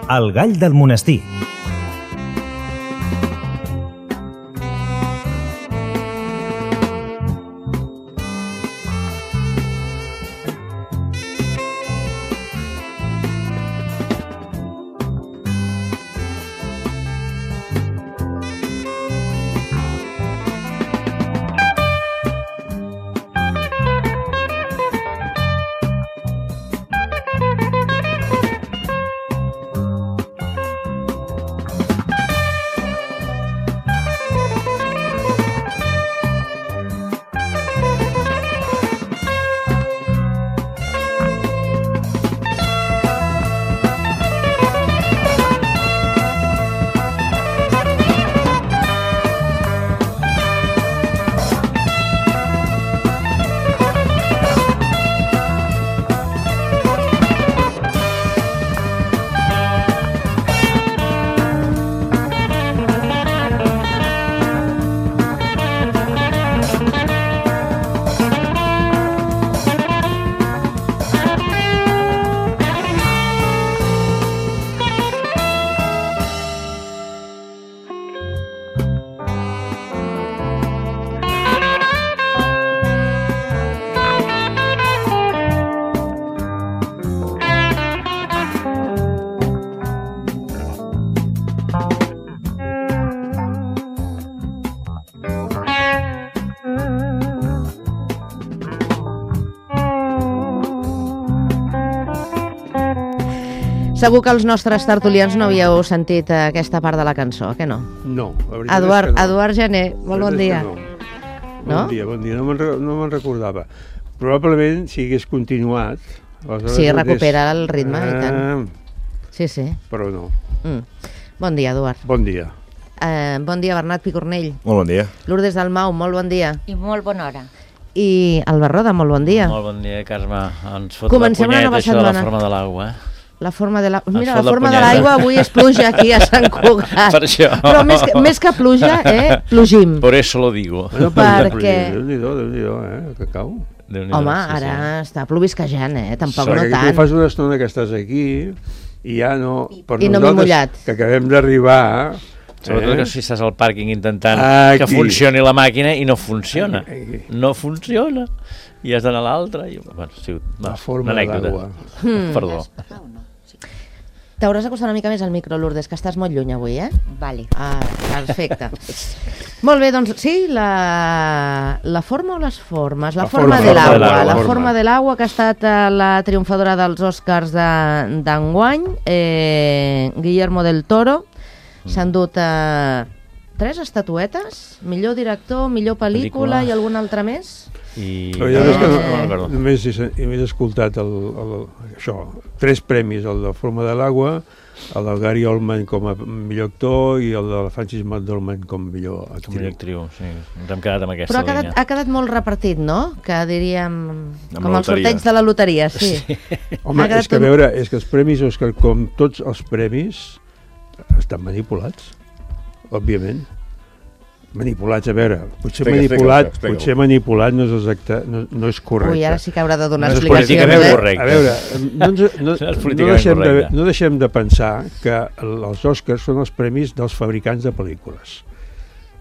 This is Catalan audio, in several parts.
El gall del monestir. Segur que els nostres tertulians no havíeu sentit aquesta part de la cançó, que no? No, la veritat és que no. Eduard Gené, molt bon dia. Bon dia, no me'n recordava. Probablement, si hagués continuat... Sí, recupera el ritme, i tant. Sí. Però no. Bon dia, Eduard. Bon dia. Bon dia, Bernat Picornell. Molt bon dia. Lourdes Dalmau, molt bon dia. I molt bona hora. I Albert Roda, molt bon dia. Molt bon dia, Carme. Ens fot Comencem la punyeta, això de la setmana. forma de l'aigua, La forma de l'aigua. Mira, Ens fot la forma la de l'aigua avui és pluja aquí a Sant Cugat. Per això. Però més que pluja, plogim. Por eso lo digo. Bueno, Perquè... Déu-n'hi-do, que cau. Home, ara està plovisquejant, tampoc no tant. Tu fas una estona que estàs aquí i ja no... I no m'he mullat. Que acabem d'arribar... Sobretot que si estàs al pàrquing intentant que funcioni la màquina i no funciona. No funciona. I has d'anar a l'altra. Bueno, sí, la forma de l'aigua. Perdó. T'hauràs d'acostar una mica més al micro, Lourdes, que estàs molt lluny avui, Vale. Perfecte. Molt bé, doncs sí, la forma o les formes? La forma de l'aigua. La forma de l'aigua, que ha estat la triomfadora dels Oscars d'enguany, Guillermo del Toro. S'han dut 3 estatuetes, millor director, millor pel·lícula i algun altre més. Però ja és que només he escoltat això, 3 premis, el de Forma de l'aigua, el del Gary Oldman com a millor actor i el de la Frances McDormand com a millor actriu. Sí. Ens hem quedat amb aquesta línia. Però ha quedat molt repartit, no? Que diríem com els sorteig de la loteria, sí. Home, és que a veure, és que els premis Òscar, com tots els premis, estan manipulats, òbviament. Manipulats, a veure, potser manipulat no és exacte, no és correcte. Ui, ara sí que haurà de donar explicacions. A veure, no deixem de pensar que els Oscars són els premis dels fabricants de pel·lícules,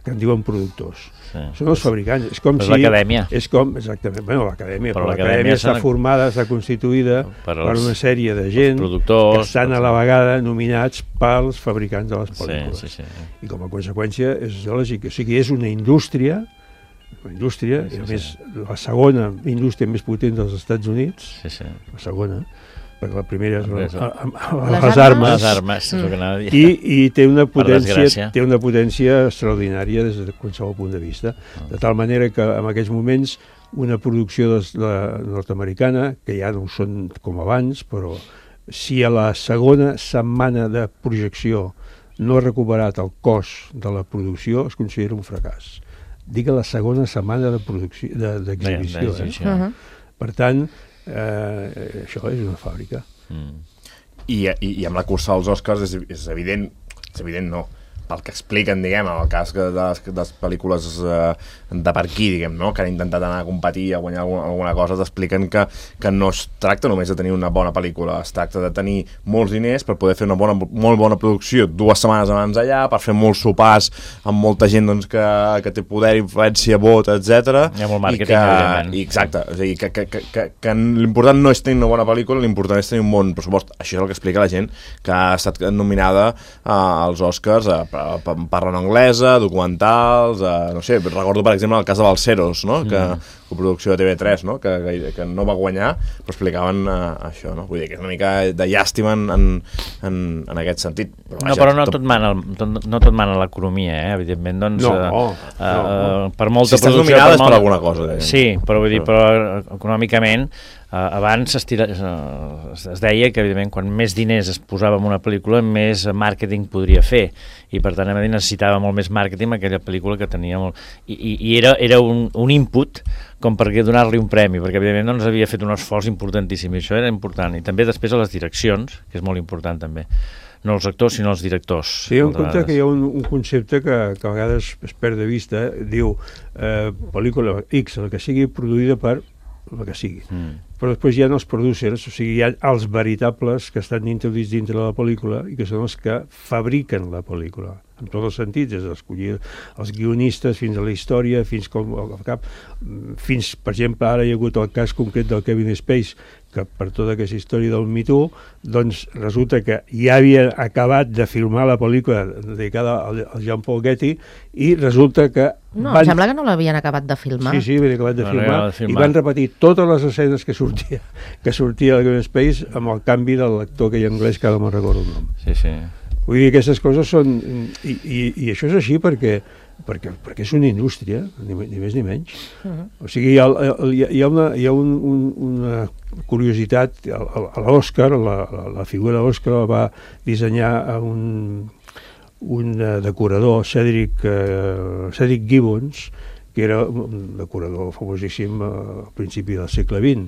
que en diuen productors. Són els fabricants. És com si... l'acadèmia. És com, exactament, bueno, l'acadèmia, però l'acadèmia està formada, està constituïda per una sèrie de gent que estan a la vegada nominats pels fabricants de les pel·lícules. I com a conseqüència és lògic. O sigui, és una indústria, i a més la segona indústria més potent dels Estats Units, la segona, perquè la primera és les armes, i té una potència extraordinària des de qualsevol punt de vista, de tal manera que en aquests moments una producció nord-americana, que ja no ho són com abans, però si a la segona setmana de projecció no ha recuperat el cost de la producció, es considera un fracàs. Dic a la segona setmana d'exhibició. Per tant, això és una fàbrica. I amb la cursa als Oscars és evident no, pel que expliquen, diguem, en el cas de les pel·lícules de per aquí, diguem, no? Que han intentat anar a competir, a guanyar alguna cosa, t'expliquen que no es tracta només de tenir una bona pel·lícula, es tracta de tenir molts diners per poder fer una molt bona producció 2 setmanes abans allà, per fer molts sopars amb molta gent doncs, que té poder, influència, vot, etc. Hi ha molt màrqueting, evidentment. Exacte, és a dir, que l'important no és tenir una bona pel·lícula, l'important és tenir un bon pressupost. Això és el que explica la gent que ha estat nominada als Oscars parla en anglesa, documentals, no sé, recordo per exemple el cas de Balseros, no? Que coproducció de TV3, no? Que no va guanyar, però explicaven això, no? Vull dir que és una mica de llàstima en aquest sentit. Però no tot mana l'economia, evidentment, doncs per molta producció... Si estàs nominada és per alguna cosa. Sí, però vull dir, però econòmicament abans es deia que evidentment quan més diners es posava en una pel·lícula més màrqueting podria fer, i per tant necessitava molt més màrqueting aquella pel·lícula que tenia molt... I era un input com per donar-li un premi, perquè evidentment doncs havia fet un esforç importantíssim, i això era important. I també després a les direccions, que és molt important també, no els actors sinó els directors. Sí, en compte que hi ha un concepte que a vegades es perd de vista, diu pel·lícula X, el que sigui produïda per el que sigui. Però després hi ha els producers, o sigui, hi ha els veritables que estan introduïts dintre de la pel·lícula i que són els que fabriquen la pel·lícula, en tots els sentits, des d'escollir els guionistes fins a la història, fins, per exemple, ara hi ha hagut el cas concret del Kevin Spacey, que per tota aquesta història del Me Too, doncs resulta que ja havia acabat de filmar la pel·lícula dedicada al Jean-Paul Getty i resulta que... No, em sembla que no l'havien acabat de filmar. Sí, havien acabat de filmar i van repetir totes les escenes que sortia el Kevin Spacey amb el canvi de l'actor que hi ha anglès, que ara no me'n recordo el nom. Sí. Vull dir que aquestes coses són... I això és així perquè és una indústria, ni més ni menys. O sigui, hi ha una curiositat. A l'Oscar, la figura d'Oscar la va dissenyar un decorador, Cedric Gibbons, que era un decorador famosíssim al principi del segle XX.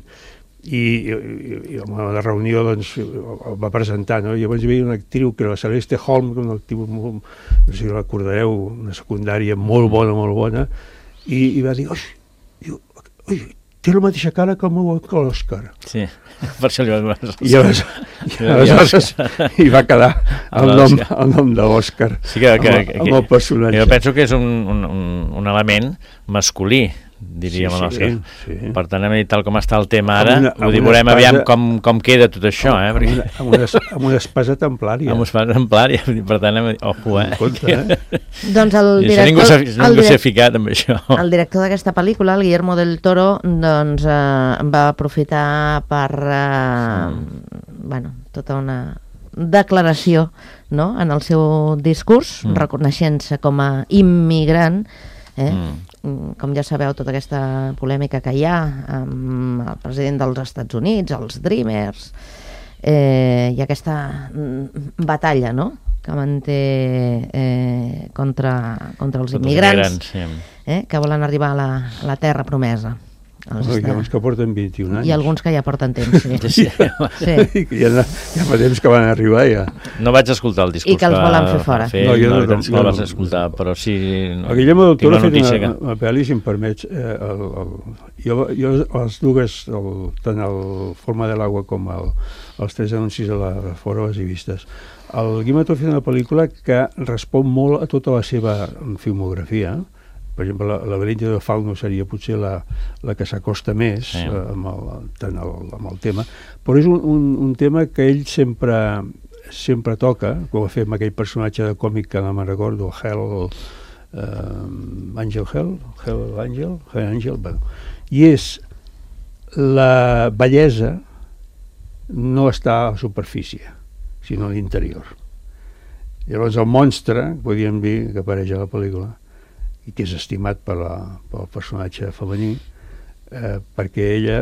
I en la reunió doncs, el va presentar, no? I llavors hi havia una actriu que era la Celeste Holm, una actriu molt, no sé si recordareu, una secundària molt bona, i va dir, oi, té la mateixa cara que l'Òscar. Sí, per això li va donar. I aleshores hi va quedar el nom de l'Òscar amb el personatge. Jo penso que és un element masculí, diríem a l'Òscar. Per tant, tal com està el tema ara, veurem aviam com queda tot això. Amb una espasa templària. Amb una espasa templària, per tant, ojo, Doncs ningú s'ha ficat amb això. El director d'aquesta pel·lícula, el Guillermo del Toro, doncs va aprofitar per tota una declaració, no?, en el seu discurs, reconeixent-se com a immigrant, com ja sabeu, tota aquesta polèmica que hi ha amb el president dels Estats Units, els Dreamers, i aquesta batalla, no?, que manté contra els immigrants, que volen arribar a la terra promesa. Hi ha uns que porten 21 anys. I alguns que ja porten temps, sí. Ja fa temps que van arribar, ja. No vaig escoltar el discurs. I que els volen fer fora. No, jo no vaig escoltar, però sí... El Guillermo del Toro ha fet una pel·li, si em permets. Jo les dues, tant el Forma de l'Agua com els 3 anuncis de la Fora, les he vistes. El Guillermo del Toro ha fet una pel·lícula que respon molt a tota la seva filmografia. Per exemple, la Laberinto de Fauno seria potser la que s'acosta més amb el tema, però és un tema que ell sempre toca, com va fer amb aquell personatge de còmic que no me'n recordo, Angel, i és la bellesa no està a la superfície, sinó a l'interior. Llavors el monstre, podríem dir, que apareix a la pel·lícula, i que és estimat pel personatge femení, perquè ella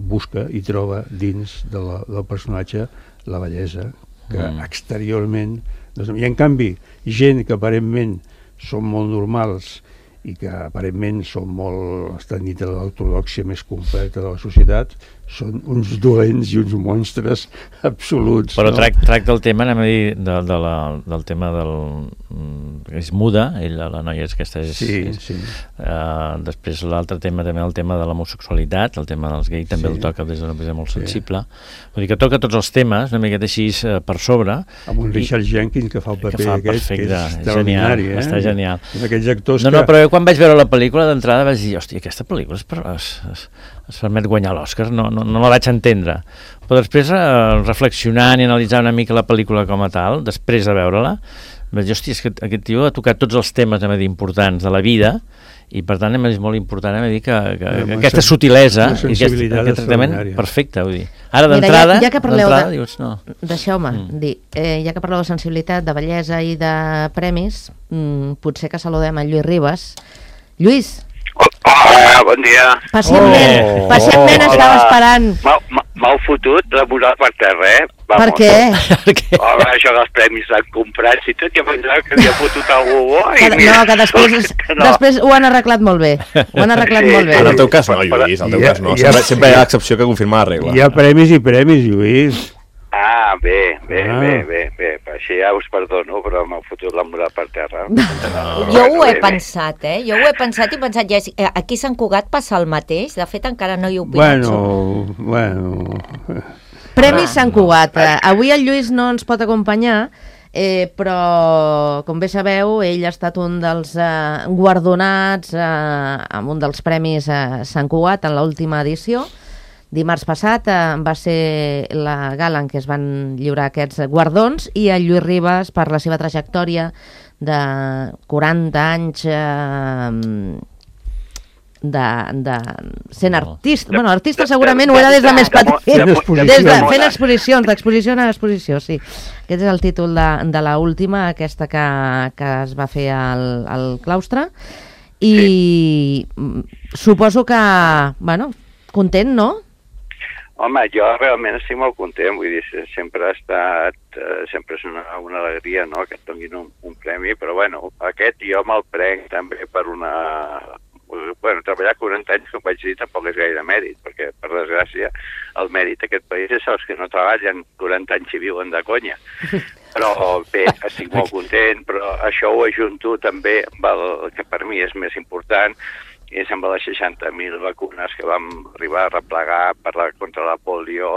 busca i troba dins del personatge la bellesa, que exteriorment... I en canvi, gent que aparentment són molt normals i que aparentment són molt, estan dins de l'ortodòxia més completa de la societat, són uns dolents i uns monstres absoluts. Però tracta el tema, anem a dir, del tema que és muda, la noia aquesta és... Sí. Després l'altre tema, també el tema de l'homosexualitat, el tema dels gais, també el toca des d'una manera molt sensible. Vull dir que toca tots els temes, una miqueta així per sobre. Amb un Richard Jenkins que fa el paper aquest, que és extraordinari. Està genial. Aquells actors que... No, però quan vaig veure la pel·lícula d'entrada vaig dir, hòstia, aquesta pel·lícula es permet guanyar l'Oscar, no la vaig entendre. Però després, reflexionant i analitzant una mica la pel·lícula com a tal, després de veure-la, vaig dir, hòstia, és que aquest tio ha tocat tots els temes importants de la vida, i per tant és molt important que aquesta sutilesa i aquest tractament perfecte, vull dir. Ara d'entrada dius no. Deixeu-me dir, ja que parleu de sensibilitat, de bellesa i de premis, potser que saludem a Lluís Ribas. Lluís! Hola, bon dia. Pacientment estava esperant. M'heu fotut la moral per terra, Per què? Home, això dels premis l'han comprat i tot, ja pensava que havia fotut algú bo. No, que després ho han arreglat molt bé. En el teu cas no, Lluís, en el teu cas no. Sempre hi ha l'excepció que confirma la regla. Hi ha premis i premis, Lluís. Ah, bé. Així ja us perdono, però m'ha fotut la moral per terra. Jo ho he pensat, Jo ho he pensat i pensat, aquí a Sant Cugat passa el mateix. De fet, encara no hi he opinat. Bueno... Premis Sant Cugat. Avui el Lluís no ens pot acompanyar, però, com bé sabeu, ell ha estat un dels guardonats amb un dels premis Sant Cugat en l'última edició. Dimarts passat va ser la gala en què es van lliurar aquests guardons i el Lluís Ribas, per la seva trajectòria de 40 anys de sent artista. Bueno, artista segurament ho era des de més petit. Fent exposicions, d'exposició a exposició, sí. Aquest és el títol de l'última, aquesta que es va fer al claustre. I suposo que, bueno, content, no? Home, jo realment estic molt content, vull dir, sempre és una alegria, no?, que et donin un premi, però bueno, aquest jo me'l prenc també per treballar 40 anys, com vaig dir, tampoc és gaire mèrit, perquè, per desgràcia, el mèrit d'aquest país és els que no treballen 40 anys i viuen de conya. Però bé, estic molt content, però això ho ajunto també amb el que per mi és més important, és amb les 60.000 vacunes que vam arribar a replegar contra la polio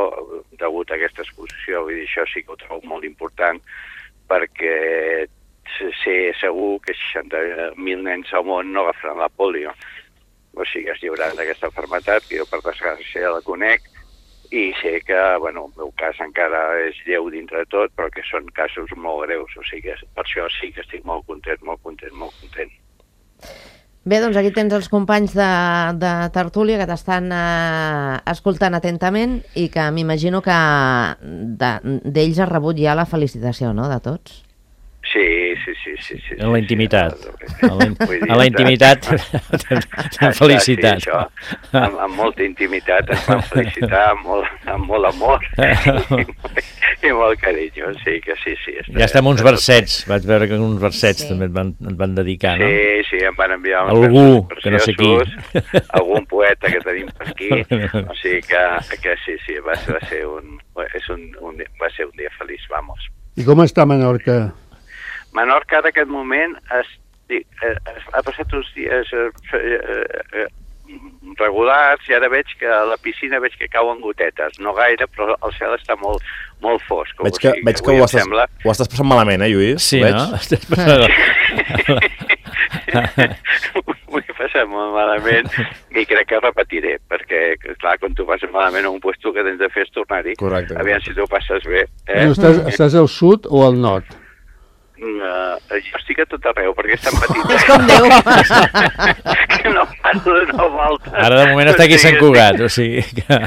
degut a aquesta exposició. Vull dir, això sí que ho trobo molt important, perquè sé segur que 60.000 nens al món no agafaran la polio. O sigui, es lliuraran d'aquesta malaltia, que jo per desgràcia la conec, i sé que, bueno, el meu cas encara és lleu dintre de tot, però que són casos molt greus. O sigui, per això sí que estic molt content. Bé, doncs aquí tens els companys de tertúlia que t'estan escoltant atentament i que m'imagino que d'ells has rebut ja la felicitació, no?, de tots? Sí. En la intimitat. En la intimitat t'han felicitat. Amb molta intimitat ens van felicitar, amb molt amor i molt carinyo, sí que sí. Ja estem uns versets, vaig veure que uns versets també et van dedicar, no? Sí, em van enviar algú, que no sé qui. Algun poeta que tenim per aquí, o sigui que sí, va ser un dia feliç, vamos. I com està Menorca? Menorca, en aquest moment, ha passat uns dies regulars i ara veig que a la piscina cauen gotetes. No gaire, però el cel està molt fosc. Veig que ho estàs passant malament, Lluís? Sí, no? Ho he passat molt malament i crec que repetiré, perquè, clar, quan tu passes malament a un puesto que tens de fer és tornar-hi. Correcte. Aviam si tu passes bé. Estàs al sud o al nord? Jo estic a tot arreu, perquè és tan petit. És com Déu. Que no paro de donar voltes. Ara de moment està aquí a Sant Cugat, o sigui que...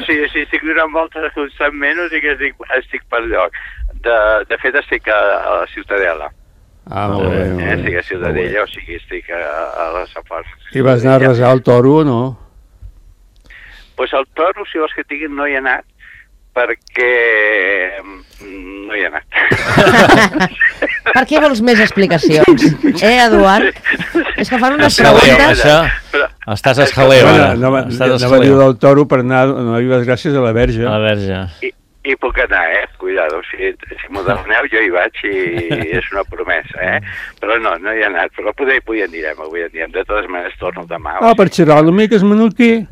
Sí, estic donant voltes constantment, o sigui que estic per lloc. De fet, estic a la Ciutadella. Molt bé. Estic a Ciutadella, o sigui, estic a les afores. I vas anar a resar el toro o no? Doncs el toro, si vols que tinguin, no hi he anat, perquè no hi ha anat. Per què vols més explicacions? Eduard? És que fan unes preguntes... Estàs esjaleu, ara. Anava a dir del Toro per anar a donar les gràcies a la Verge. A la Verge. I puc anar, cuidado, si m'ho demaneu jo hi vaig i és una promesa, però no hi ha anat, però avui anirem, de totes maneres torno demà. Per xerrar una mica, és menorquí?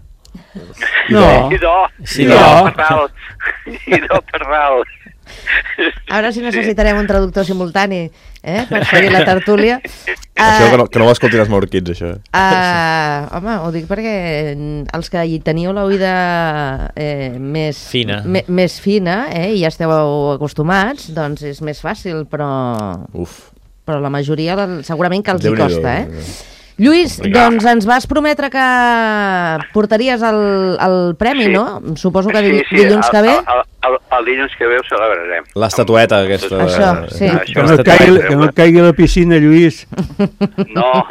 No. I no per dalt. Ara sí necessitarem un traductor simultani, per seguir la tertúlia. Això que no ho escoltin els menorquins, això. Home, ho dic perquè els que hi teniu l'oïda més fina, i ja esteu acostumats, doncs és més fàcil, però la majoria segurament que els hi costa, Lluís, doncs ens vas prometre que portaries el premi, no? Suposo que dilluns que ve. El dilluns que ve ho celebrarem. L'estatueta aquesta. Això, sí. Que no et caigui a la piscina, Lluís. No,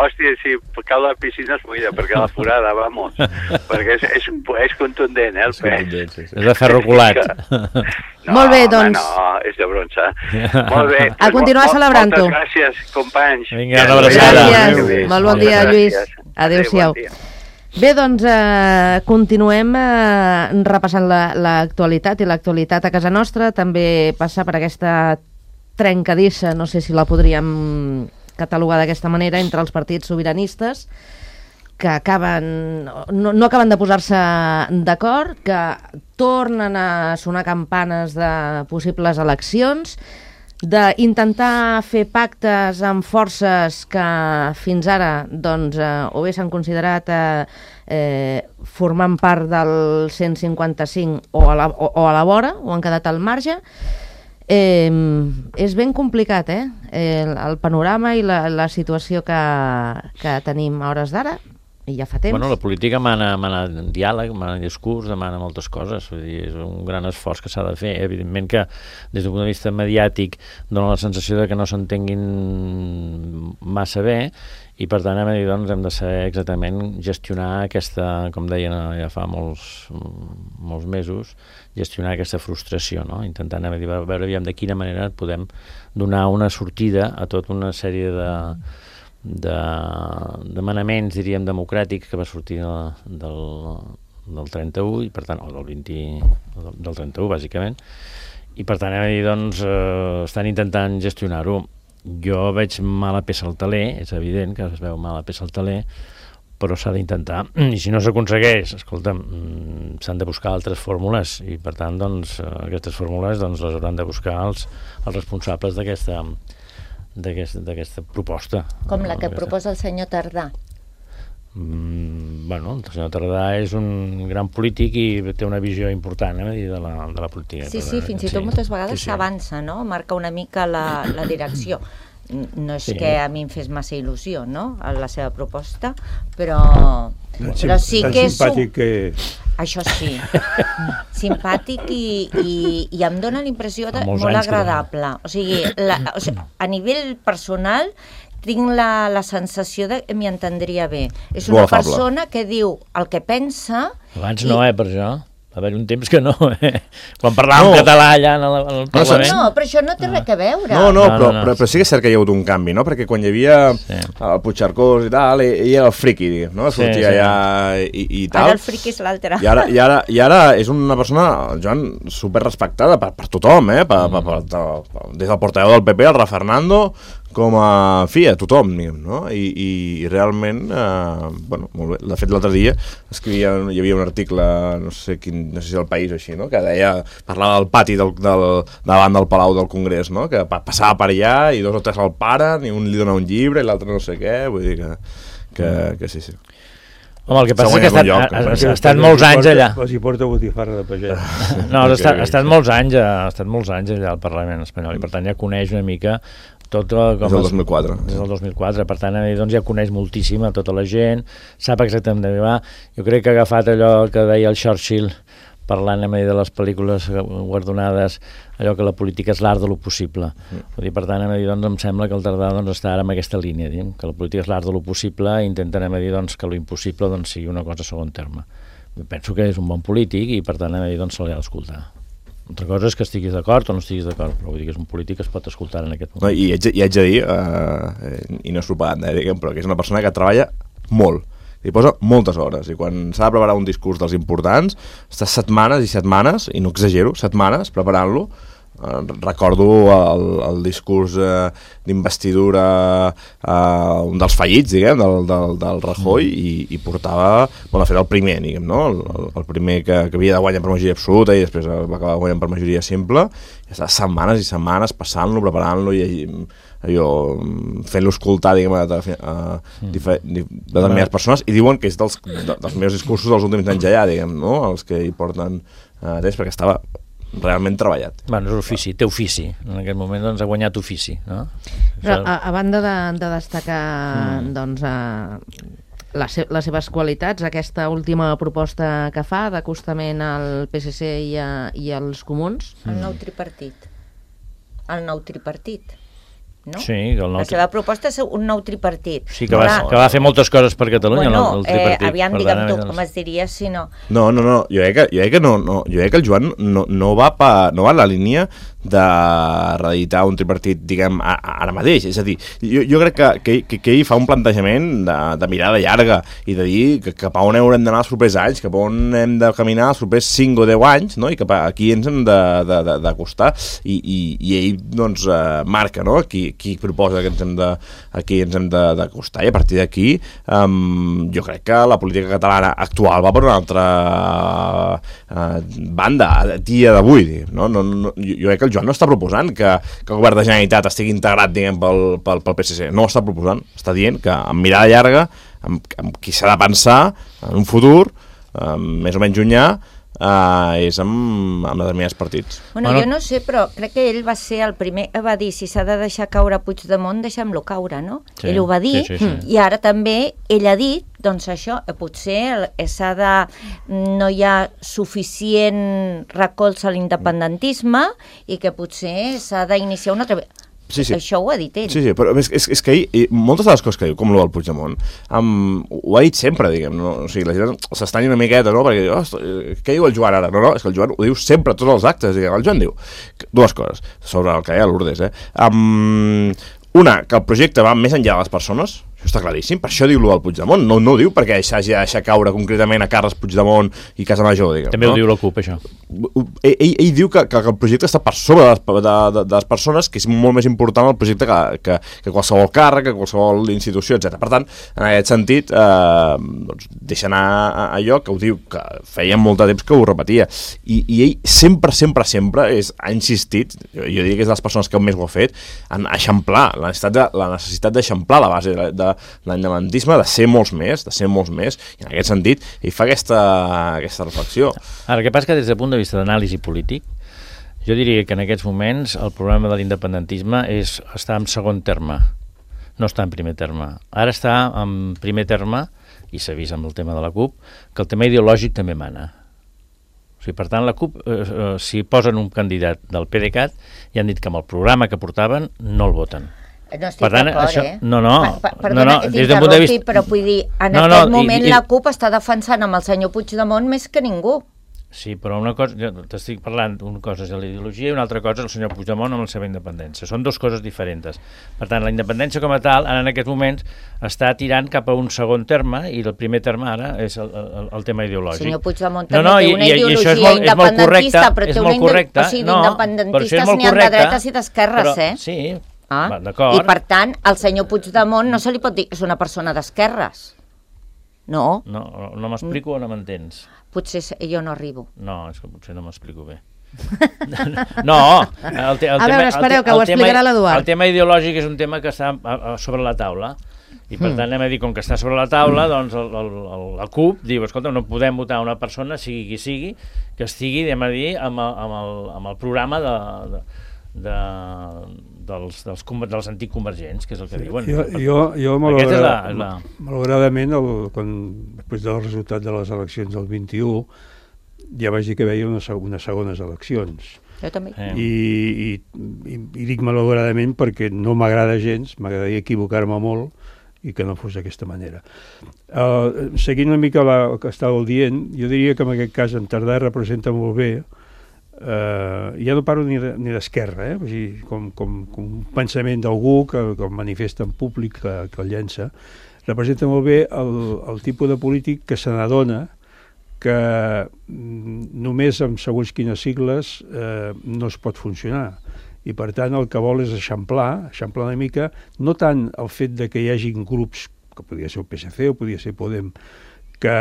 hòstia, si cau la piscina es buida, perquè la forada, vamos, perquè és contundent, el pes. És de ferro colat. Molt bé, doncs. No, és de bronze. Molt bé. A continuar celebrant-ho. Moltes gràcies, companys. Vinga, una abraçada. Gràcies. Molt bon dia, Lluís. Adéu-siau. Bé, doncs continuem repassant l'actualitat i l'actualitat a casa nostra. També passa per aquesta trencadissa, no sé si la podríem catalogar d'aquesta manera, entre els partits sobiranistes que no acaben de posar-se d'acord, que tornen a sonar campanes de possibles eleccions, d'intentar fer pactes amb forces que fins ara doncs, o bé s'han considerat formant part del 155 o a la vora, o han quedat al marge. És ben complicat, el panorama i la situació que tenim a hores d'ara, i ja fa temps. Bueno, la política mana diàleg, mana discurs, demana moltes coses. Vull dir, és un gran esforç que s'ha de fer. Evidentment que, des d'un punt de vista mediàtic, dona la sensació de que no s'entenguin massa bé, i per tant doncs, hem de saber exactament gestionar aquesta, com deien ja fa molts mesos, gestionar aquesta frustració, no? Intentant veure de quina manera podem donar una sortida a tota una sèrie de manaments, diríem, democràtics que va sortir del 31, i per tant, o del 31, bàsicament, i per tant, doncs, estan intentant gestionar-ho. Jo veig mala peça al taler, és evident que es veu mala peça al taler, però s'ha d'intentar, i si no s'aconsegueix, escolta'm, s'han de buscar altres fórmules, i per tant, doncs, aquestes fórmules les hauran de buscar els responsables d'aquesta proposta. Com la que proposa el senyor Tardà. Bueno, el senyor Tardà és un gran polític i té una visió important de la política. Sí, fins i tot moltes vegades s'avança, no? Marca una mica la direcció. No és que a mi em fes massa il·lusió, no?, la seva proposta, però sí que és... Això sí, simpàtic i em dona la impressió de molt agradable. O sigui, a nivell personal tinc la sensació de que m'hi entendria bé. És una persona que diu el que pensa... Abans no, per això. Va haver un temps que no, quan parlàvem català allà en el Parlament. No, però això no té res a veure. Però sí que és cert que hi ha hagut un canvi, no? Perquè quan hi havia el Puigcercós i tal, ell era el friqui, no? Sortia allà i tal. Ara el friqui és l'altre. I ara és una persona, Joan, superrespectada per tothom, des del portaveu del PP, el Ra Fernando, com a fi, a tothom, no? I realment, bueno, molt bé. De fet, l'altre dia hi havia un article, no sé si El País o així, no? Que parlava del pati davant del Palau del Congrés, no? Que passava per allà i 2 o 3 el paren i un li dona un llibre i l'altre no sé què, vull dir que sí. Home, el que passa és que ha estat molts anys allà. Els hi porta botifarra de pagès. No, ha estat molts anys allà al Parlament espanyol, i per tant ja coneix una mica tot com... Des del 2004. Des del 2004, per tant, doncs ja coneix moltíssim a tota la gent, sap exactament d'on va. Jo crec que ha agafat allò que deia el Churchill, parlant de les pel·lícules guardonades, allò que la política és l'art de lo possible. Per tant, doncs, em sembla que el Tardà està ara en aquesta línia, que la política és l'art de lo possible, i intenten que lo impossible sigui una cosa a segon terme. penso que és un bon polític i per tant doncs se l'ha d'escoltar. Altra cosa és que estiguis d'acord o no estiguis d'acord, però vull dir que és un polític que es pot escoltar en aquest moment. No, i haig de dir, i no és propaganda, diguem, però que és una persona que treballa molt, hi posa moltes hores, i quan s'ha de preparar un discurs dels importants, està setmanes i setmanes, i no exagero, setmanes preparant-lo. Recordo el discurs d'investidura, un dels fallits, diguem, del Rajoy, i portava, bueno, de fet el primer, diguem, no? El primer que havia de guanyar per majoria absoluta i després va acabar guanyant per majoria simple, i estava setmanes i setmanes passant-lo, preparant-lo i allò, fent-lo escoltar, diguem, a determinades persones, i diuen que és dels meus discursos dels últims anys allà, diguem, no? Els que hi porten temps, perquè estava realment treballat. Bueno, és ofici, té ofici. En aquest moment doncs, ha guanyat ofici. No? Però a banda de destacar doncs, les seves qualitats, aquesta última proposta que fa d'acostament al PSC i als comuns... El nou tripartit. El nou tripartit. No? Sí, la seva proposta és un nou tripartit. Sí, que va fer moltes coses per Catalunya, el tripartit. Aviam, digue'm tu, com es diria si no. No, jo crec que el Joan no va en la línia de reeditar un tripartit, diguem, ara mateix. És a dir, jo crec que ell fa un plantejament de mirada llarga i de dir que cap a on haurem d'anar els propers anys, cap a on hem de caminar els propers 5 o 10 anys, no? I cap a aquí ens hem d'acostar. I ell, doncs, marca, no? Qui proposa que ens hem d'acostar, i a partir d'aquí jo crec que la política catalana actual va per una altra banda a dia d'avui, no? Jo crec que el Joan no està proposant que el govern de Generalitat estigui integrat, diguem, pel PSC, no ho està proposant, està dient que amb mirada llarga, amb qui s'ha de pensar en un futur més o menys llunyà, és amb determinats partits. Bueno, jo no sé, però crec que ell va ser el primer que va dir si s'ha de deixar caure Puigdemont, deixem-lo caure, no? Sí, ell ho va dir, sí. I ara també ell ha dit, doncs això, potser no hi ha suficient recolza a l'independentisme i que potser s'ha d'iniciar una altra... Sí. Això ho ha dit ell. Sí, però és que ell, moltes de les coses que diu, com el del Puigdemont, ho ha dit sempre, diguem, no? O sigui, la gent s'estanya una miqueta, no? Perquè diu, què diu el Joan ara? No, és que el Joan ho diu sempre a tots els actes, diguem. El Joan diu dues coses sobre el que deia Lourdes, Una, que el projecte va més enllà de les persones, això està claríssim, per això diu-lo del Puigdemont, no ho diu perquè s'hagi de deixar caure concretament a Carles Puigdemont i Casa Major, diguem. També ho diu la CUP, això. Ell diu que el projecte està per sobre de les persones, que és molt més important el projecte que qualsevol càrrec, que qualsevol institució, etc. Per tant, en aquest sentit, doncs, deixa anar allò que ho diu, que feia molt de temps que ho repetia. I ell sempre ha insistit, jo diria que és de les persones que més ho ha fet, en eixamplar la necessitat d'eixamplar la base de l'independentisme, de ser molts més, i en aquest sentit ell fa aquesta reflexió. Ara, el que passa que des del punt de vista d'anàlisi polític, jo diria que en aquests moments el problema de l'independentisme està en segon terme, no està en primer terme. Ara està en primer terme, i s'ha vist amb el tema de la CUP, que el tema ideològic també mana. O sigui, per tant, la CUP, si posen un candidat del PDeCAT, ja han dit que amb el programa que portaven no el voten. No estic d'acord, Perdona, des del punt de vista... però vull dir, en aquest moment la CUP està defensant amb el senyor Puigdemont més que ningú. Sí, però una cosa, t'estic parlant, una cosa és la ideologia i una altra cosa és el senyor Puigdemont amb la seva independència. Són dues coses diferents. Per tant, la independència com a tal, ara en aquests moments, està tirant cap a un segon terme i el primer terme ara és el tema ideològic. El senyor Puigdemont també té una ideologia independentista, però té una ideologia... O sigui, d'independentistes n'hi ha de dretes i d'esquerres, Sí, d'acord. I per tant, al senyor Puigdemont no se li pot dir que és una persona d'esquerres. No. No m'explico o no m'entens? Potser jo no arribo. No, és que potser no m'explico bé. No, a veure, espereu, que ho explicarà l'Eduard. El tema ideològic és un tema que està sobre la taula i per tant anem a dir, com que està sobre la taula, doncs la CUP diu, escolta, no podem votar una persona, sigui qui sigui, que estigui, anem a dir, amb el programa dels antics convergents, que és el que diuen. Jo malauradament, després del resultat de les eleccions del 21, ja vaig dir que veia unes segones eleccions. Jo també. I dic malauradament perquè no m'agrada gens, m'agradaria equivocar-me molt i que no fos d'aquesta manera. Seguint una mica el que estàveu dient, jo diria que en aquest cas en Tardà representa molt bé, ja no parlo ni d'esquerra, o sigui, com un pensament d'algú que el manifesta en públic, que el llença, representa molt bé el tipus de polític que se n'adona que només amb segons quines sigles no es pot funcionar. I per tant el que vol és eixamplar una mica, no tant el fet de que hi hagin grups, que podria ser el PSC o podria ser Podem, que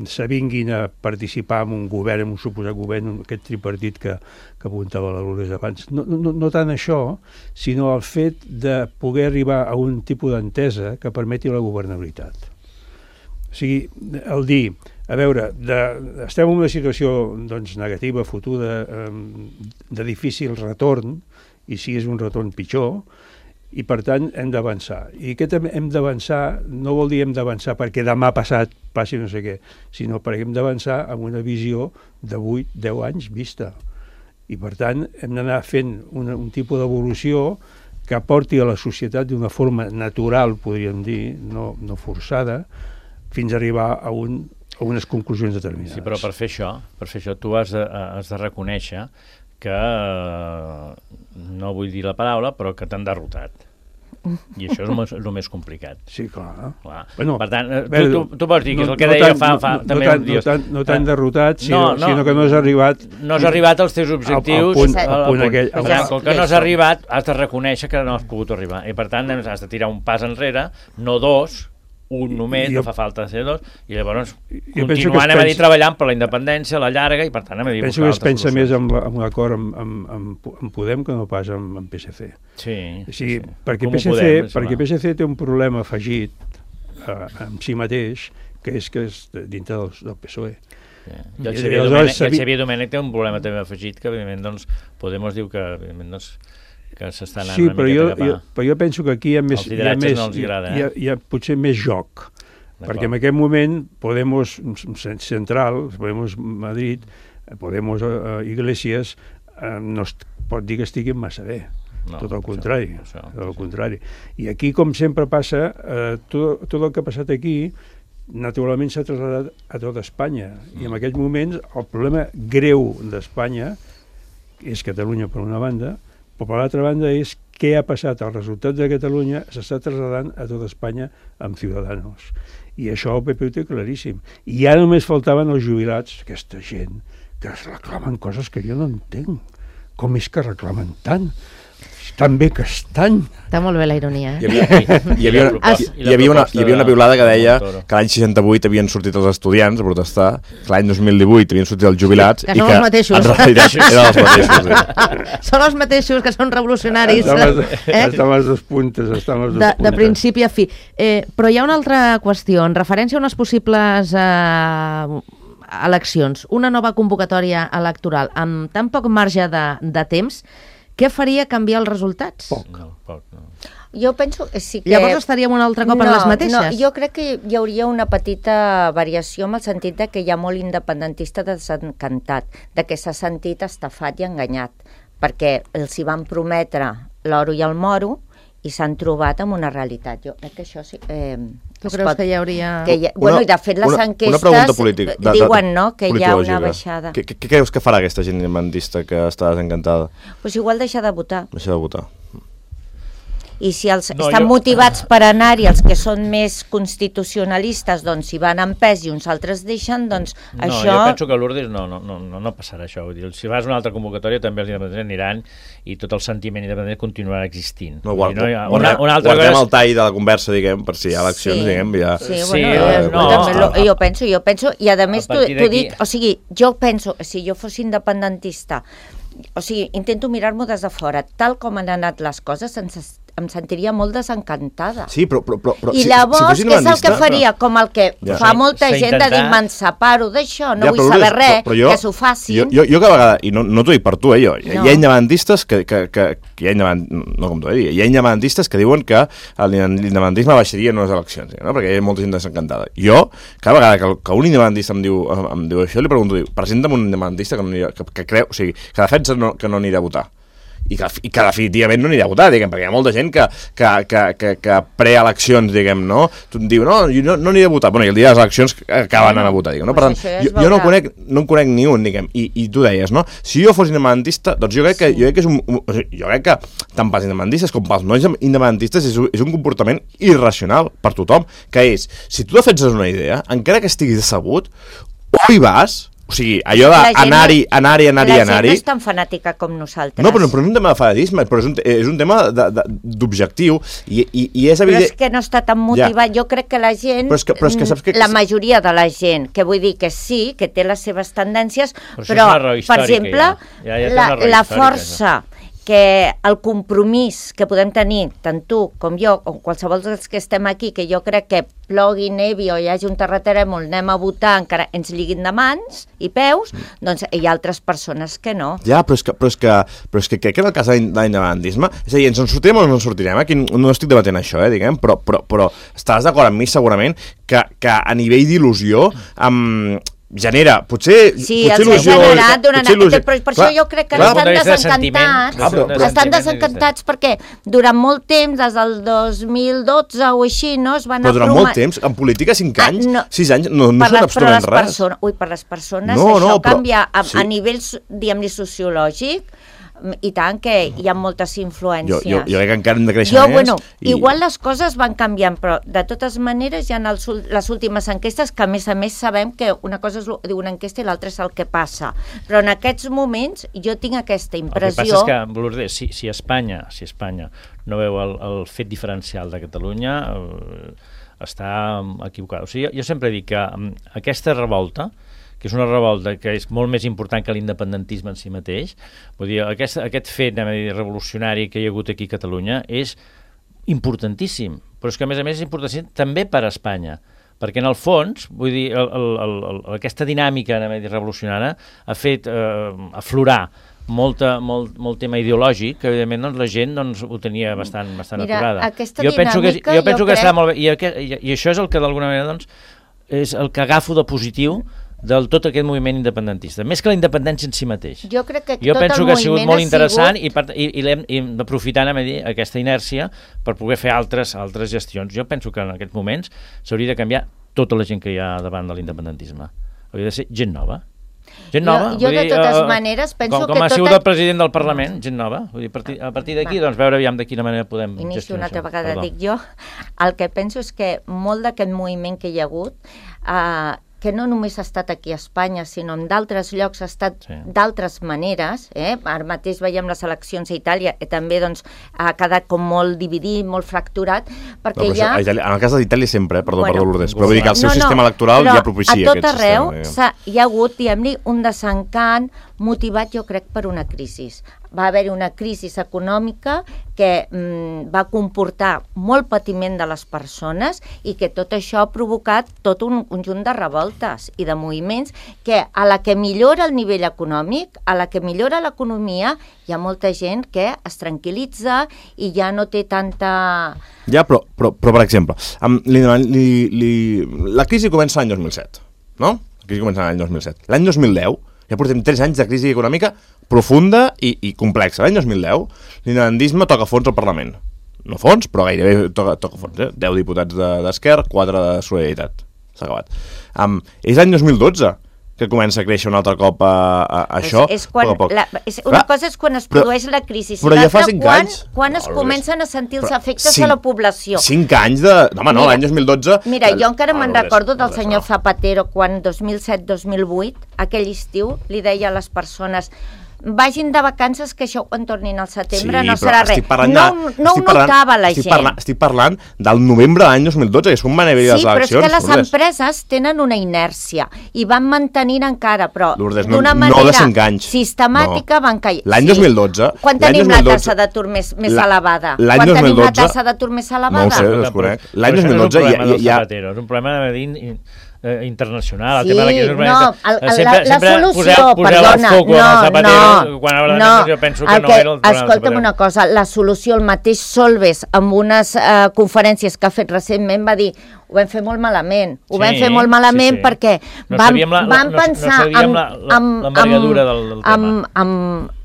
s'avinguin a participar en un govern, en un suposat govern, aquest tripartit que apuntava la Lourdes abans. No tant això, sinó el fet de poder arribar a un tipus d'entesa que permeti la governabilitat. O sigui, el dir, a veure, estem en una situació negativa, fotuda, de difícil retorn, i si és un retorn pitjor, i per tant hem d'avançar. I aquest hem d'avançar no vol dir hem d'avançar perquè demà passat passi no sé què, sinó perquè hem d'avançar amb una visió de 8-10 anys vista. I per tant hem d'anar fent un tipus d'evolució que aporti a la societat d'una forma natural, podríem dir, no forçada, fins a arribar a unes conclusions determinades. Sí, però per fer això tu has de reconèixer que, no vull dir la paraula, però que t'han derrotat. I això és el més complicat. Sí, clar. Bueno, per tant, tu pots dir que és el que deia fa també un dia. No t'han derrotat, sinó que no has arribat... No has arribat als teus objectius. Al punt aquell. Com que no has arribat, has de reconèixer que no has pogut arribar. I per tant, has de tirar un pas enrere, no dos, un només, no fa falta ser dos, i llavors continuant a dir treballant per la independència, la llarga, i per tant hem de dir... Penso que es pensa més en un acord amb Podem que no pas amb PSC. Sí. Perquè PSC té un problema afegit amb si mateix, que és dintre del PSOE. I el Xavier Domènech té un problema també afegit, que evidentment Podemos diu que que s'està anant una mica cap a... Però jo penso que aquí hi ha potser més joc, perquè en aquest moment Podemos Central, Podemos Madrid, Podemos Iglesias, no es pot dir que estiguin massa bé. Tot el contrari. I aquí, com sempre passa, tot el que ha passat aquí naturalment s'ha traslladat a tot Espanya. I en aquests moments el problema greu d'Espanya és Catalunya per una banda, però per l'altra banda és què ha passat. El resultat de Catalunya s'està traslladant a tota Espanya amb Ciudadanos. I això el PP ho té claríssim. I ja només faltaven els jubilats, aquesta gent que es reclamen coses que jo no entenc. Com és que reclamen tant? Tan bé que estan. Està molt bé la ironia. Hi havia una piulada que deia que l'any 68 havien sortit els estudiants a protestar, que l'any 2018 havien sortit els jubilats i que els mateixos. En realitat eren els mateixos. Són els mateixos que són revolucionaris. Estan les dues puntes. De principi a fi. Però hi ha una altra qüestió. En referència a unes possibles eleccions, una nova convocatòria electoral amb tan poc marge de temps, què faria canviar els resultats? Poc. Jo penso que sí que... Llavors estaríem un altre cop en les mateixes? No, jo crec que hi hauria una petita variació en el sentit de que hi ha molt independentista desencantat, de que s'ha sentit estafat i enganyat, perquè els hi van prometre l'oro i el moro i s'han trobat amb una realitat. Jo crec que això sí... Tu creus que hi hauria... I de fet les enquestes diuen que hi ha una baixada. Què creus que farà aquesta gent independentista que està desencantada? Doncs igual deixar de votar. Deixar de votar. I si estan motivats per anar-hi, els que són més constitucionalistes, doncs si van en pes i uns altres deixen, doncs això... Jo penso que a Lourdes no passarà això. Vull dir, si vas a una altra convocatòria també els independents aniran i tot el sentiment independent continuarà existint. Guardem el tall de la conversa, diguem, per si hi ha eleccions, diguem, ja... Jo penso, i a més t'ho dic, o sigui, jo penso, si jo fos independentista, o sigui, intento mirar-m'ho des de fora, tal com han anat les coses, em sentiria molt desencantada. Sí, però i llavors, què és el que faria? Com el que fa molta gent de dir, m'enseparo d'això, no vull saber res, que s'ho faci. Jo cada vegada, i no t'ho dic per tu, hi ha independentistes que hi ha independentistes que diuen que l'independentisme baixaria en unes eleccions, perquè hi ha molta gent desencantada. Jo, cada vegada que un independentista em diu això, li pregunto, presenta'm un independentista que creu, o sigui, que defensa que no anirà a votar. i que definitivament no anirà a votar, diguem, perquè hi ha molta gent que preeleccions, diguem, no? Diu, no, jo no aniré a votar. Bueno, i el dia de les eleccions acaben anant a votar, diguem, no? Per tant, jo no en conec ni un, diguem, i tu deies, no? Si jo fos independentista, doncs jo crec que jo crec que tant pels independentistes com pels no independentistes és un comportament irracional per tothom, que és, si tu defenses una idea, encara que estiguis decebut, o hi vas. O sigui, allò d'anar-hi... La gent no és tan fanàtica com nosaltres. No, però no és un tema de fanatisme, però és un tema d'objectiu i és evident... Però és que no està tan motivat. Jo crec que la gent, però és que saps que... la majoria de la gent, que vull dir que sí, que té les seves tendències, però per exemple, la força... que el compromís que podem tenir, tant tu com jo, o qualsevol dels que estem aquí, que jo crec que plogui, nevi o hi hagi un terratrèmol, anem a votar, encara ens lliguin de mans i peus, doncs hi ha altres persones que no. Ja, però és que crec que en el cas de l'independentisme, és a dir, ens en sortirem o no ens en sortirem, aquí no estic debatent això, diguem, però estaràs d'acord amb mi segurament que a nivell d'il·lusió genera, potser il·lusió... Però per això jo crec que estan desencantats perquè durant molt temps, des del 2012 o així, no es van... Però durant molt temps, en política 5 anys, 6 anys, no són absolutament res. Per les persones això canvia a nivell, diguem-ne, sociològic, i tant, que hi ha moltes influències. Jo crec que encara hem de créixer més. Igual les coses van canviant, però de totes maneres hi ha les últimes enquestes que a més sabem que una cosa és una enquesta i l'altra és el que passa. Però en aquests moments jo tinc aquesta impressió... El que passa és que, Lourdes, si Espanya no veu el fet diferencial de Catalunya, està equivocat. O sigui, jo sempre dic que aquesta revolta, que és una revolta que és molt més important que l'independentisme en si mateix. Vull dir, aquest fet revolucionari que hi ha hagut aquí a Catalunya és importantíssim, però és que a més és importantíssim també per a Espanya, perquè en el fons, vull dir, aquesta dinàmica revolucionària ha fet aflorar molt tema ideològic, que evidentment doncs, la gent ho tenia bastant aturada. Aquesta dinàmica jo penso que està molt bé, i això és el que d'alguna manera és el que agafo de positiu del tot aquest moviment independentista, més que la independència en si mateix. Jo penso que ha sigut molt interessant i l'hem d'aprofitar aquesta inèrcia per poder fer altres gestions. Jo penso que en aquests moments s'hauria de canviar tota la gent que hi ha davant de l'independentisme. Hauria de ser gent nova. Gent nova. Jo de totes maneres penso que... Com ha sigut el president del Parlament, gent nova. Vull dir, a partir d'aquí, doncs, veure aviam de quina manera podem gestionar això. Una altra vegada dic jo. El que penso és que molt d'aquest moviment que hi ha hagut que no només ha estat aquí a Espanya, sinó en d'altres llocs ha estat d'altres maneres. Ara mateix veiem les eleccions a Itàlia, que també ha quedat com molt dividit, molt fracturat, perquè en el cas d'Itàlia sempre, perdó, Lourdes, però vull dir que el seu sistema electoral ja propicia aquest sistema. A tot arreu hi ha hagut, diguem-ne, un desencant motivat, jo crec, per una crisi. Va haver-hi una crisi econòmica que va comportar molt patiment de les persones i que tot això ha provocat tot un conjunt de revoltes i de moviments que a la que millora el nivell econòmic, a la que millora l'economia, hi ha molta gent que es tranquil·litza i ja no té tanta... Ja, però per exemple, la crisi comença l'any 2007, no? La crisi comença l'any 2007. L'any 2010 ja portem 3 anys de crisi econòmica profunda i complexa. L'any 2010 l'independentisme toca fons al Parlament. No fons, però gairebé toca fons. 10 diputats d'Esquerra, 4 de Solidaritat. S'ha acabat. És l'any 2012 que comença a créixer un altre cop això, poc a poc. Una cosa és quan es produeix la crisi, però ja fa 5 anys. Quan es comencen a sentir els efectes a la població. 5 anys de... Home, no, l'any 2012... Mira, jo encara me'n recordo del senyor Zapatero quan 2007-2008, aquell estiu, li deia a les persones... vagin de vacances, que això quan tornin al setembre no serà res. No ho notava la gent. Estic parlant del novembre de l'any 2012, que és quan van haver-hi les eleccions. Sí, però és que les empreses tenen una inèrcia i van mantenint encara, però d'una manera sistemàtica van caient. L'any 2012... Quan tenim la tassa d'atur més elevada? Quan tenim la tassa d'atur més elevada? No ho sé, desconec. L'any 2012 ja... És un problema de internacional. Sí, la solució, perdona, escolta'm una cosa, la solució, el mateix Solbes, amb unes conferències que ha fet recentment, va dir, ho vam fer molt malament, perquè vam pensar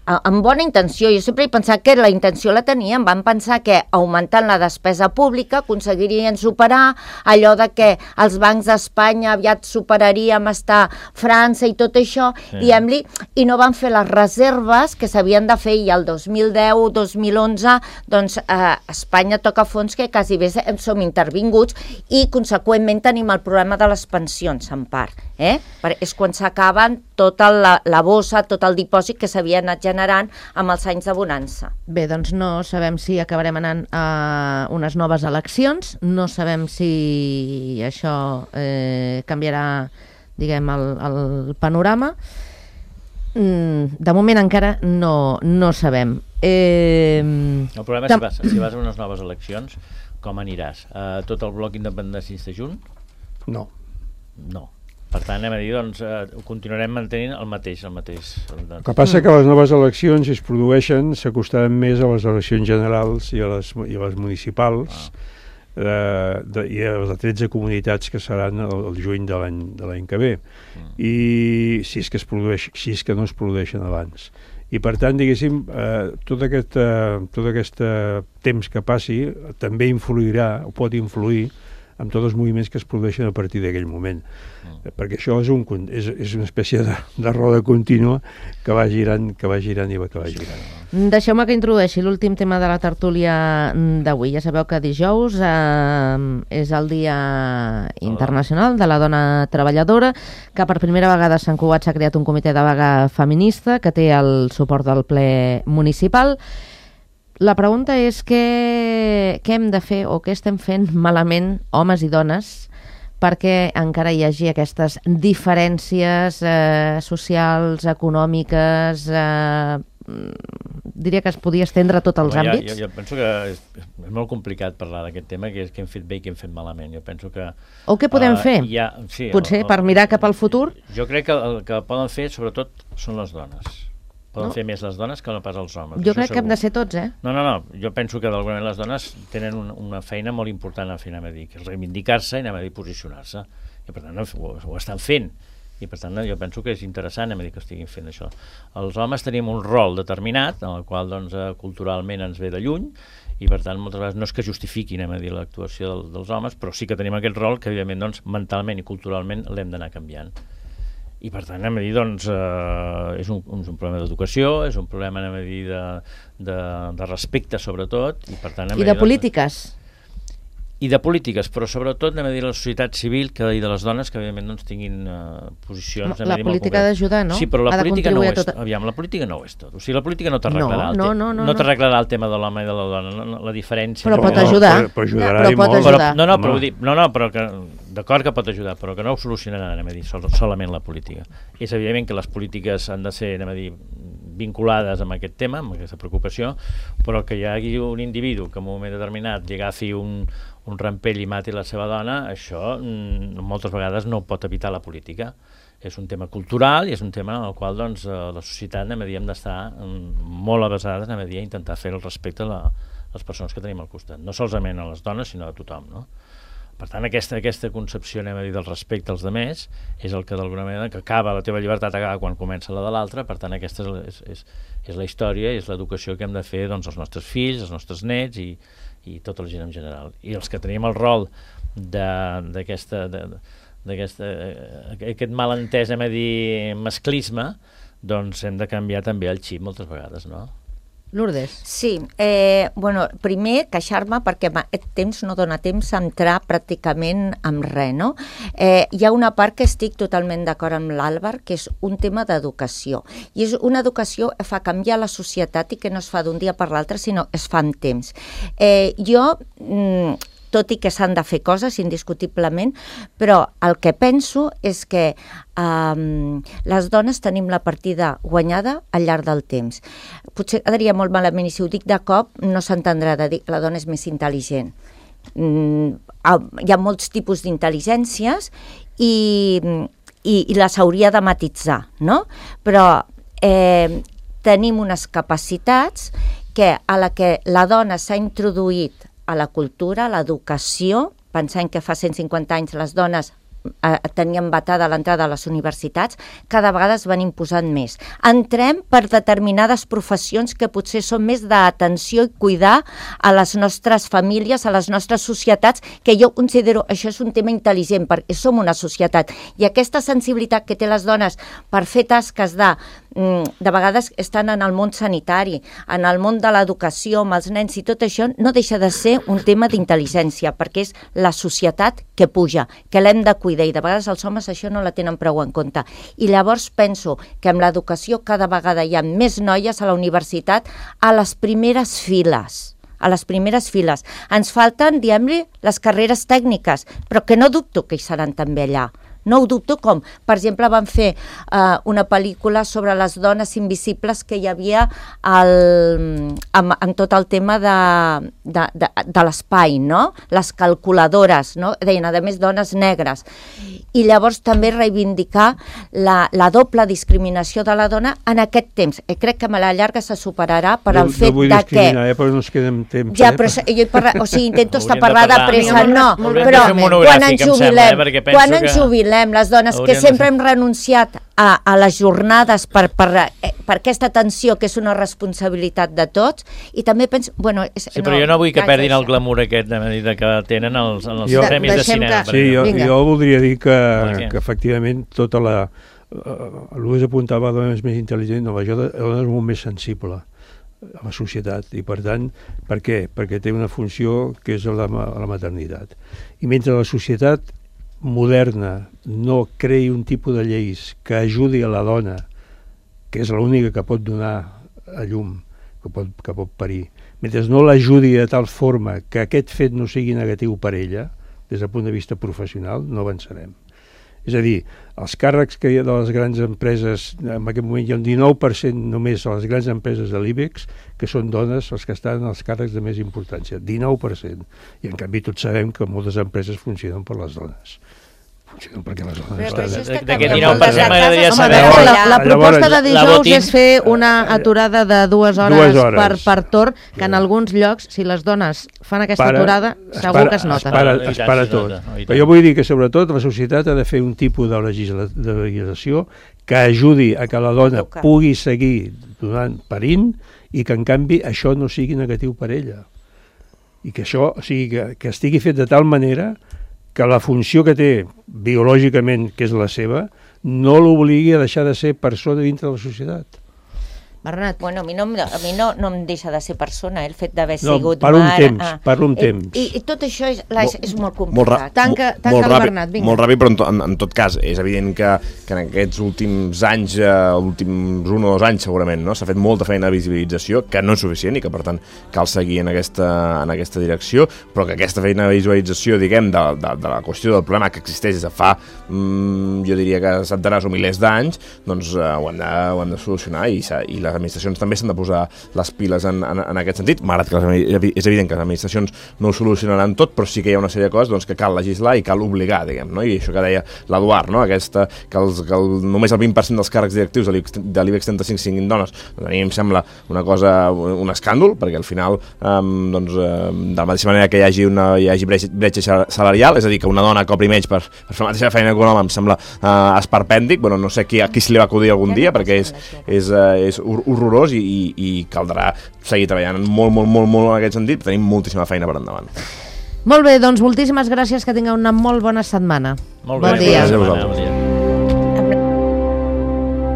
amb bona intenció. Jo sempre he pensat que la intenció la tenien, van pensar que augmentant la despesa pública aconseguirien superar allò de que els bancs d'Espanya aviat superaríem estar França i tot això, diguem-li, i no van fer les reserves que s'havien de fer, i el 2010-2011 doncs Espanya toca fons que quasi bé som intervinguts, i conseqüentment tenim el problema de les pensions en part, és quan s'acaben tota la bossa, tot el dipòsit que s'havia anat generant amb els anys de bonança. Bé, doncs no sabem si acabarem anant a unes noves eleccions, no sabem si això canviarà, diguem, el panorama. De moment encara no sabem. El problema és si vas a unes noves eleccions, com aniràs? Tot el bloc independentista junt? No. Per tant, anem a dir, doncs, continuarem mantenint el mateix. El que passa que les noves eleccions, si es produeixen, s'acostaran més a les eleccions generals i a les municipals i a les 13 comunitats que seran el juny de l'any que ve. I si és que no es produeixen abans. I per tant, diguéssim, tot aquest temps que passi també influirà, o pot influir, amb tots els moviments que es produeixen a partir d'aquell moment. Perquè això és una espècie de roda contínua que va girant i va girant. Deixeu-me que introdueixi l'últim tema de la tertúlia d'avui. Ja sabeu que dijous és el Dia Internacional de la Dona Treballadora, que per primera vegada a Sant Cugat s'ha creat un comitè de vaga feminista que té el suport del ple municipal. La pregunta és què hem de fer o què estem fent malament, homes i dones, perquè encara hi hagi aquestes diferències socials, econòmiques, diria que es podia estendre a tots els àmbits? Jo penso que és molt complicat parlar d'aquest tema, que és què hem fet bé i què hem fet malament. Jo penso que... O què podem fer? Potser per mirar cap al futur? Jo crec que el que poden fer, sobretot, són les dones. Poden fer més les dones que no pas els homes. Jo crec que hem de ser tots, No. Jo penso que d'alguna manera les dones tenen una feina molt important a fer, que és reivindicar-se i posicionar-se. I per tant ho estan fent. I per tant jo penso que és interessant que estiguin fent això. Els homes tenim un rol determinat, en el qual culturalment ens ve de lluny, i per tant moltes vegades no és que justifiquin l'actuació dels homes, però sí que tenim aquest rol que evidentment mentalment i culturalment l'hem d'anar canviant. I per tant, és un problema d'educació, és un problema de respecte sobretot, i per tant... I de polítiques. I de polítiques, però sobretot de la societat civil i de les dones que evidentment tinguin posicions... La política d'ajudar, no? Sí, però la política no ho és tot. La política no ho és tot. O sigui, la política no t'arreglarà no t'arreglarà el tema de l'home i de la dona, la diferència... Però pot ajudar. Però ajudarà i molt. Però que d'acord que pot ajudar, però que no ho solucionarà, solament la política. És evident que les polítiques han de ser, vinculades amb aquest tema, amb aquesta preocupació, però que hi hagi un individu que en un moment determinat li agafi un rampell i mati la seva dona, això moltes vegades no pot evitar la política. És un tema cultural i és un tema en el qual la societat hem d'estar molt avesades a intentar fer el respecte a les persones que tenim al costat. No solament a les dones, sinó a tothom, no? Per tant, aquesta concepció, del respecte als altres, és el que d'alguna manera, que acaba, la teva llibertat acaba quan comença la de l'altre. Per tant, aquesta és la història i és l'educació que hem de fer als nostres fills, als nostres nets i tota la gent en general. I els que tenim el rol d'aquest malentès, masclisme, doncs hem de canviar també el xip moltes vegades, no? Lourdes. Sí, primer queixar-me perquè aquest temps no dona temps a entrar pràcticament en res, no? Hi ha una part que estic totalment d'acord amb l'Àlvar, que és un tema d'educació. I és una educació que fa canviar la societat i que no es fa d'un dia per l'altre, sinó es fa amb temps. Tot i que s'han de fer coses, indiscutiblement, però el que penso és que les dones tenim la partida guanyada al llarg del temps. Potser quedaria molt malament, i si ho dic de cop no s'entendrà de dir que la dona és més intel·ligent. Hi ha molts tipus d'intel·ligències i les hauria de matisar, no? Però tenim unes capacitats que a la que la dona s'ha introduït a la cultura, a l'educació, pensant que fa 150 anys les dones teníem vetada l'entrada a les universitats, cada vegada es van imposant més. Entrem per determinades professions que potser són més d'atenció i cuidar a les nostres famílies, a les nostres societats, que jo considero això és un tema intel·ligent, perquè som una societat. I aquesta sensibilitat que té les dones per fer tasques de vegades estan en el món sanitari, en el món de l'educació, amb els nens i tot això, no deixa de ser un tema d'intel·ligència, perquè és la societat que puja, que l'hem de cuidar, i de vegades els homes això no la tenen prou en compte. I llavors penso que amb l'educació cada vegada hi ha més noies a la universitat a les primeres files. A les primeres files. Ens falten, diguem-li, les carreres tècniques, però que no dubto que hi seran també allà. No ho dubto com. Per exemple, van fer una pel·lícula sobre les dones invisibles que hi havia en tot el tema de l'espai, no? Les calculadores, no? Deien, a més, dones negres. I llavors també reivindicar la doble discriminació de la dona en aquest temps. I crec que a la llarga se superarà per al fet de que... No vull discriminar, però no ens quedem temps. Ja, però jo intento estar parlar de pressa, no. Però quan ens jubilem, les dones que sempre hem renunciat a les jornades per aquesta atenció que és una responsabilitat de tots, i també penso... Sí, però jo no vull que perdin el glamour aquest que tenen els premis de cinema. Sí, jo voldria dir que efectivament tota la... L'Ues apuntava a dones més intel·ligents, no, la dona és molt més sensible a la societat, i per tant, per què? Perquè té una funció que és la maternitat. I mentre la societat moderna no creï un tipus de lleis que ajudi a la dona, que és l'única que pot donar a llum, que pot parir, mentre no l'ajudi de tal forma que aquest fet no sigui negatiu per ella, des del punt de vista professional, no avançarem. És a dir, els càrrecs que hi ha de les grans empreses, en aquest moment hi ha un 19% només a les grans empreses de l'IBEX, que són dones els que estan en els càrrecs de més importància, 19%. I en canvi tots sabem que moltes empreses funcionen per les dones. Funcionen perquè les dones estan... D'aquest 19% m'agradaria saber... La proposta de dijous és fer una aturada de 2 hores per torn, que en alguns llocs, si les dones fan aquesta aturada, segur que es nota. Es para tot. Però jo vull dir que sobretot la societat ha de fer un tipus de legislació que ajudi a que la dona pugui seguir parint, i que en canvi això no sigui negatiu per ella. I que això, o sigui, que estigui fet de tal manera que la funció que té biològicament, que és la seva, no l'obligui a deixar de ser persona dintre de la societat. Bernat. Bueno, a mi no em deixa de ser persona, el fet d'haver sigut mare... Per un temps. I tot això és molt complicat. Tanca el Bernat, vinga. Molt ràpid, però en tot cas, és evident que en aquests últims anys, últims 1 o 2 anys segurament, no? S'ha fet molta feina de visibilització, que no és suficient i que per tant cal seguir en aquesta direcció, però que aquesta feina de visualització, diguem, de la qüestió del problema que existeix des de fa, jo diria que centenars o milers d'anys, doncs ho hem de solucionar, i les administracions també s'han de posar les piles en aquest sentit, malgrat que és evident que les administracions no ho solucionaran tot, però sí que hi ha una sèrie de coses doncs, que cal legislar i cal obligar, diguem, no? I això que deia l'Eduard, no? Que només el 20% dels càrrecs directius de l'IBEX 35 siguin dones, doncs a mi em sembla un escàndol, perquè al final de la mateixa manera que hi hagi bretxa salarial, és a dir, que una dona cobri menys per fer la mateixa feina que un home, em sembla esperpèntic. Bueno, no sé a qui se li va acudir algun dia, perquè és horrorós, i caldrà seguir treballant molt en aquest sentit. Tenim moltíssima feina per endavant. Molt bé, doncs moltíssimes gràcies, que tingueu una molt bona setmana. Bon dia. Gràcies a vosaltres.